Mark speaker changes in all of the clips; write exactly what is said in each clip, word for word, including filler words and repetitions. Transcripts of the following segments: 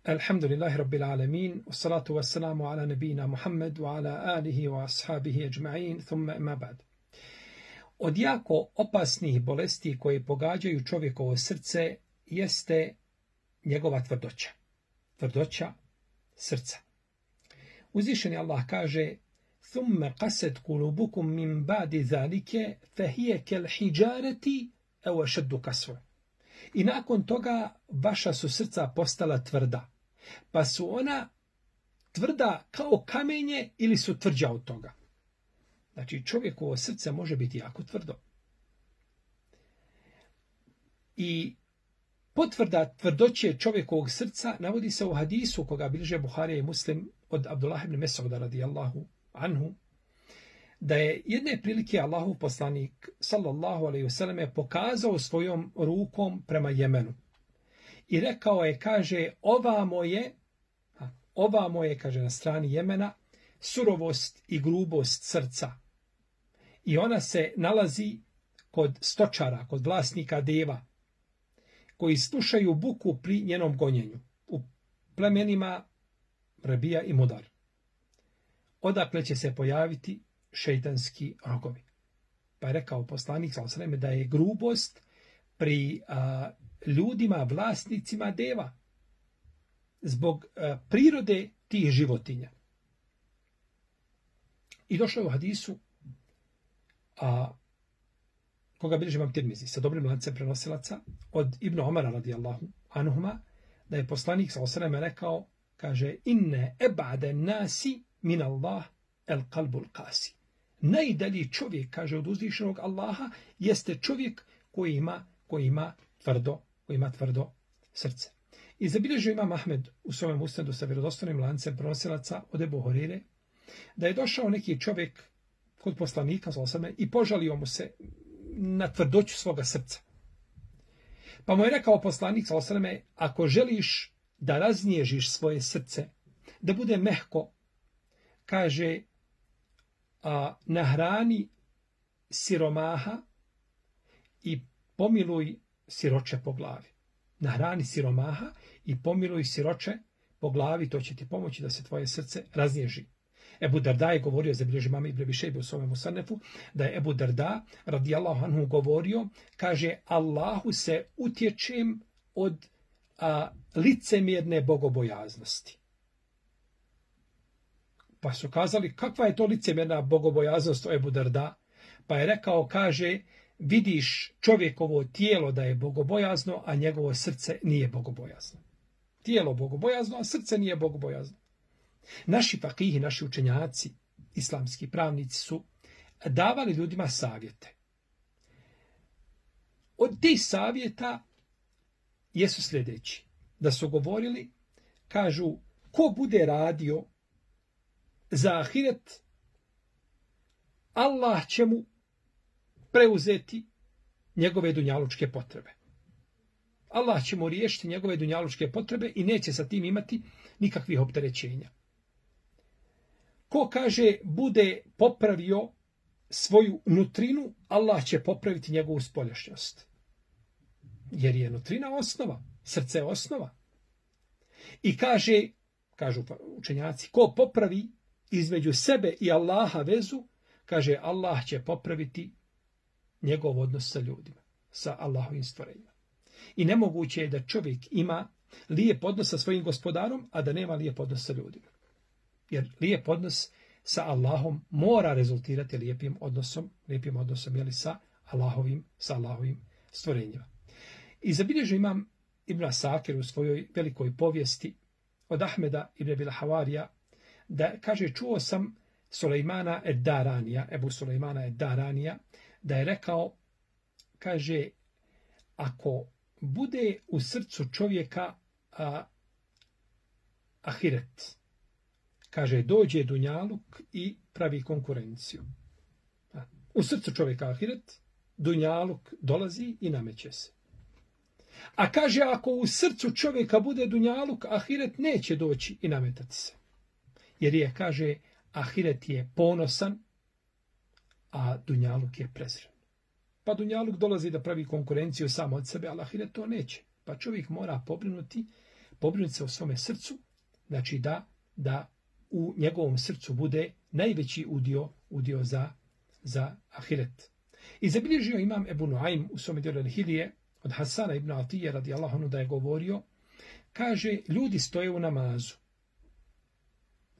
Speaker 1: Alhamdulillahi Rabbil Alamin, wassalatu wassalamu ala nabina Muhammad wa ala alihi wa ashabihi ajma'in, thumma ima ba'd. Od jako opasnih bolesti koje pogađaju čovjekovo srce jeste njegova tvrdoća. Tvrdoća srca. Uzvišeni Allah kaže: "Thumma qasat qulubukum min ba'di zalike fa hiya kal hijarati aw ashaddu qaswa." I nakon toga vaša su srca postala tvrda, pa su ona tvrda kao kamenje ili su tvrđa od toga. Znači, čovjekovo srce može biti jako tvrdo. I potvrda tvrdoće čovjekovog srca navodi se u hadisu koga bilježe Buharija i Muslim od Abdullah ibn Mes'uda radijallahu anhu, da je jedne prilike Allahov poslanik sallallahu alejhi ve selleme pokazao svojom rukom prema Jemenu. I rekao je, kaže, ovamo je, ovamo je, kaže, na strani Jemena, surovost i grubost srca. I ona se nalazi kod stočara, kod vlasnika deva, koji slušaju buku pri njenom gonjenju, u plemenima Rabija i Mudar. Odakle će se pojaviti šejtanski rogovi. Pa je rekao poslanik sallallahu alejhi ve sellem da je grubost pri a, ljudima, vlasnicima deva, zbog a, prirode tih životinja. I došlo je u hadisu, a, koga bilježi Imam Tirmizi sa dobrim lancem prenosilaca, od Ibn Omara radijallahu anhuma, da je poslanik sallallahu alejhi ve sellem rekao, kaže: "Inne eb'ade nasi min Allah el qalbul qasi." Najdalji čovjek, kaže, od uzvišenog Allaha jeste čovjek koji ima, koji ima tvrdo, koji ima tvrdo srce. I zabilježio Imam Ahmed u svojem usnedu sa vjerodostojnim lancem prenosilaca od Ebu Hurire, da je došao neki čovjek kod poslanika sallallahu alejhi ve sellem i požalio mu se na tvrdoću svoga srca. Pa mu je rekao poslanik sallallahu alejhi ve sellem: "Ako želiš da raznježiš svoje srce, da bude mehko, kaže, a nahrani siromaha i pomiluj siroče po glavi." Nahrani siromaha i pomiluj siroče po glavi, to će ti pomoći da se tvoje srce raznježi. Ebu Darda je govorio, zabilježi Imam Ibn Abi Šejbe u svome Musanefu, da je Ebu Darda radijallahu anhu govorio, kaže: "Allahu se utječem od a, licemjerne bogobojaznosti." Pa su kazali, kakva je to licemjerna bogobojaznost o Ebu Darda? Pa je rekao, kaže, vidiš čovjekovo tijelo da je bogobojazno, a njegovo srce nije bogobojazno. Tijelo bogobojazno, a srce nije bogobojazno. Naši fakihi, naši učenjaci, islamski pravnici su davali ljudima savjete. Od tih savjeta jesu sljedeći. Da su govorili, kažu, ko bude radio za ahiret, Allah će mu preuzeti njegove dunjalučke potrebe. Allah će mu riješiti njegove dunjalučke potrebe i neće sa tim imati nikakvih opterećenja. Ko, kaže, bude popravio svoju nutrinu, Allah će popraviti njegovu spoljašnjost. Jer je nutrina osnova, srce je osnova. I kaže, kažu učenjaci, ko popravi između sebe i Allaha vezu, kaže, Allah će popraviti njegov odnos sa ljudima, sa Allahovim stvorenjima. I nemoguće je da čovjek ima lijep odnos sa svojim gospodarom, a da nema lijep odnos sa ljudima. Jer lijep odnos sa Allahom mora rezultirati lijepim odnosom, lijepim odnosom jeli, sa Allahovim, sa Allahovim stvorenjima. I zabilježio Imam Ibn Asakir u svojoj velikoj povijesti od Ahmeda ibn Abil Havarija, da kaže, čuo sam Sulejmana ed-Daranija, Ebu Sulejmana ed-Daranija, da je rekao, kaže, ako bude u srcu čovjeka a, ahiret, kaže, dođe dunjaluk i pravi konkurenciju. A, u srcu čovjeka ahiret, dunjaluk dolazi i nameće se. A kaže, ako u srcu čovjeka bude dunjaluk, ahiret neće doći i nametati se. Jer je, kaže, ahiret je ponosan, a dunjaluk je prezren. Pa dunjaluk dolazi da pravi konkurenciju samo od sebe, ali ahiret to neće. Pa čovjek mora pobrinuti pobrinuti se o svome srcu, znači da, da u njegovom srcu bude najveći udio, udio za, za ahiret. I zabilježio imam Ebu Nuaym u svome djelu Al-Hilije od Hasana ibn Atije radijallahu anhu da je govorio, kaže, ljudi stoje u namazu,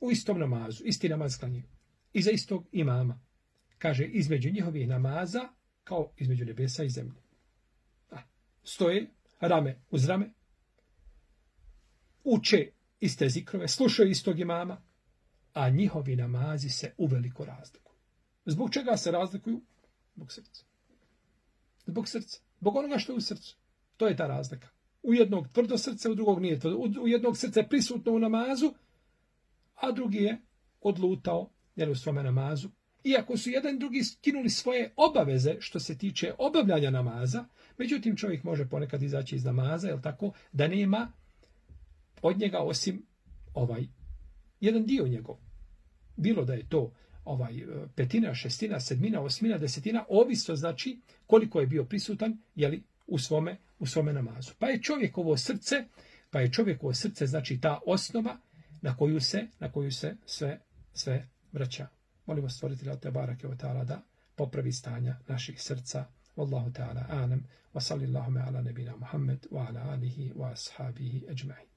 Speaker 1: u istom namazu, isti namaz klanjaju, iza istog imama. Kaže, između njihovih namaza, kao između nebesa i zemlje. A, stoje rame uz rame, uče iste zikrove, slušaju istog imama, a njihovi namazi se uveliko razlikuju. Zbog čega se razlikuju? Zbog srca. Zbog srca. Zbog onoga što je u srcu. To je ta razlika. U jednog tvrdo srce, u drugog nije tvrdo. U jednog srce je prisutno u namazu, a drugi je odlutao jer u svome namazu. Iako su jedan drugi skinuli svoje obaveze što se tiče obavljanja namaza, međutim čovjek može ponekad izaći iz namaza, jel tako, da nema od njega osim ovaj jedan dio njegov. Bilo da je to ovaj petina, šestina, sedmina, osmina, desetina, ovisno znači koliko je bio prisutan, jeli, u svome, u svome namazu. Pa je čovjekovo srce, pa je čovjekovo srce znači ta osnova na koju se, na koju se sve, sve vraća. Molimo stvoritelja te barake ve taala da popravi stanja naših srca. Wallahu ta'ala a'lam wa sallallahu ala nabina Muhammad wa ala alihi wa ashabihi ajma'in.